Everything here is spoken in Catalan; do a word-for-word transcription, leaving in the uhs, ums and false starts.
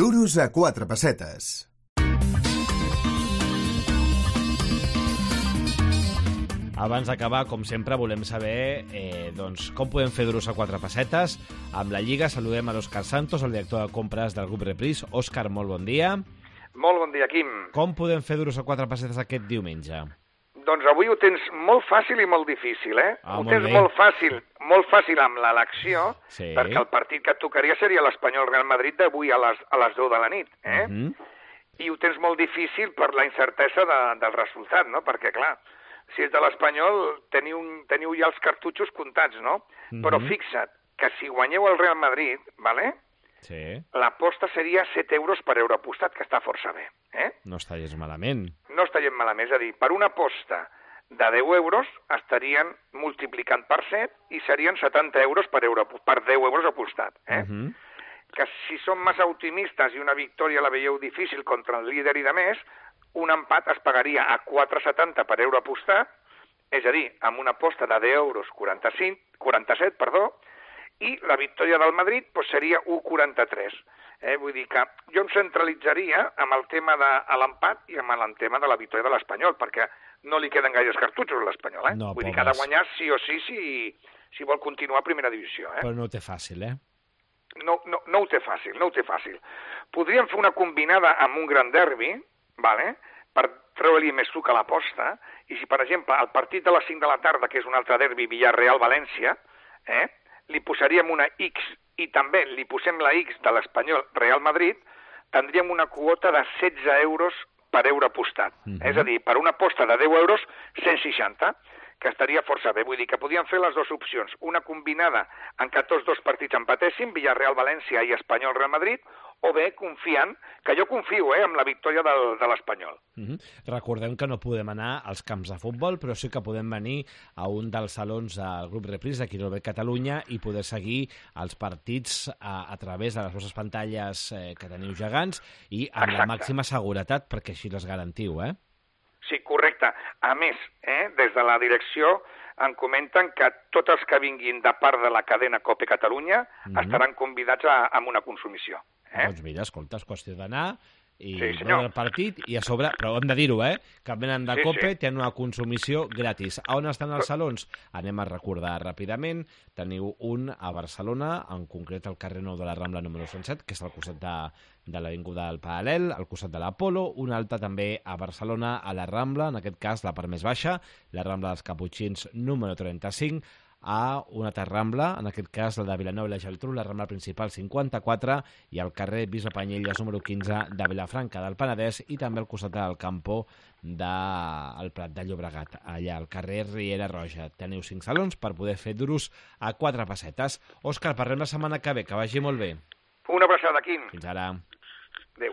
Duros a quatre pessetes. Abans d'acabar, com sempre, volem saber eh, doncs, com podem fer duros a quatre pessetes. Amb la Lliga saludem a l'Òscar Santos, el director de compres del grup Reprise. Òscar, molt bon dia. Molt bon dia, Quim. Com podem fer duros a quatre pessetes aquest diumenge? Doncs avui ho tens molt fàcil i molt difícil, eh? Ah, ho molt tens bé. molt fàcil, molt fàcil amb l'elecció, Sí. perquè el partit que et tocaria seria l'Espanyol Real Madrid d'avui a les, a les deu de la nit, eh? Uh -huh. I ho tens molt difícil per la incertesa de, del resultat, no? Perquè, clar, si és de l'Espanyol, teniu, teniu ja els cartutxos comptats, no? Mhm. Però fixa't que si guanyeu el Real Madrid, vale? Sí, L'aposta seria set euros per euro apostat, que està força bé, eh? no està gens malament. No està gent malament, és a dir, per una aposta de deu euros estarien multiplicant per set i serien setanta euros per, euro, per deu euros apostat, eh? Uh -huh. Que si som massa optimistes i una victòria la veieu difícil contra el líder i de més, un empat es pagaria a quatre coma setanta per euro apostat, és a dir, amb una aposta de deu euros quaranta-cinc, quaranta-set, perdó, i la victòria del Madrid doncs, seria un coma quaranta-tres. Eh? Vull dir que jo em centralitzaria amb el tema de l'empat i amb el tema de la victòria de l'Espanyol, perquè no li queden gaires cartutxos a l'Espanyol. Eh? No, Vull dir pobres. que ha de guanyar sí o sí si, si vol continuar a primera divisió. Eh? Però no ho té fàcil, eh? No, no, no ho té fàcil, no ho té fàcil. Podríem fer una combinada amb un gran derbi, vale? Per treure-li més suc a l'aposta, i si, per exemple, el partit de les cinc de la tarda, que és un altre derbi, Villarreal-València, eh? li posaríem una X i també li posem la X de l'Espanyol Real Madrid, tindríem una quota de setze euros per euro apostat. Mhm. És a dir, per una aposta de deu euros, cent seixanta, que estaria força bé. Vull dir que podíem fer les dues opcions, una combinada en què tots dos partits empatessin, Villarreal-València i Espanyol-Real Madrid, o bé confiant, que jo confio eh, en la victòria del, de l'Espanyol. Uh -huh. Recordem que no podem anar als camps de futbol, però sí que podem venir a un dels salons del grup Reprise d'aquí a Catalunya i poder seguir els partits a, a través de les vostres pantalles eh, que teniu gegants i amb Exacte. la màxima seguretat, perquè així les garantiu, eh? Sí, correcte. A més, eh, des de la direcció em comenten que tots els que vinguin de part de la cadena COPE Catalunya Mhm. estaran convidats a, a una consumició. Eh? Doncs mira, escolta, és qüestió d'anar i Sí, senyor. veure el partit i a sobre, però hem de dir-ho, eh? Que venen de Sí, COPE, sí. tenen una consumició gratis. A on estan els salons? Anem a recordar ràpidament. Teniu un a Barcelona, en concret al carrer Nou de la Rambla número cent set, que és al costat de, de l'Avinguda del Paral·lel, al costat de l'Apolo. Un altre també a Barcelona, a la Rambla, en aquest cas la part més baixa, la Rambla dels Caputxins número trenta-cinc, a una altra Rambla, en aquest cas la de Vilanova i la Geltrú, la Rambla principal cinquanta-quatre, i al carrer Bisbe Panyelles número quinze de Vilafranca del Penedès, i també al costat del Campo del Prat de Llobregat, allà al carrer Riera Roja. Teniu cinc salons per poder fer duros a quatre pessetes. Òscar, parlem la setmana que ve, que vagi molt bé. Una abraçada, Quim. Fins ara. Adéu.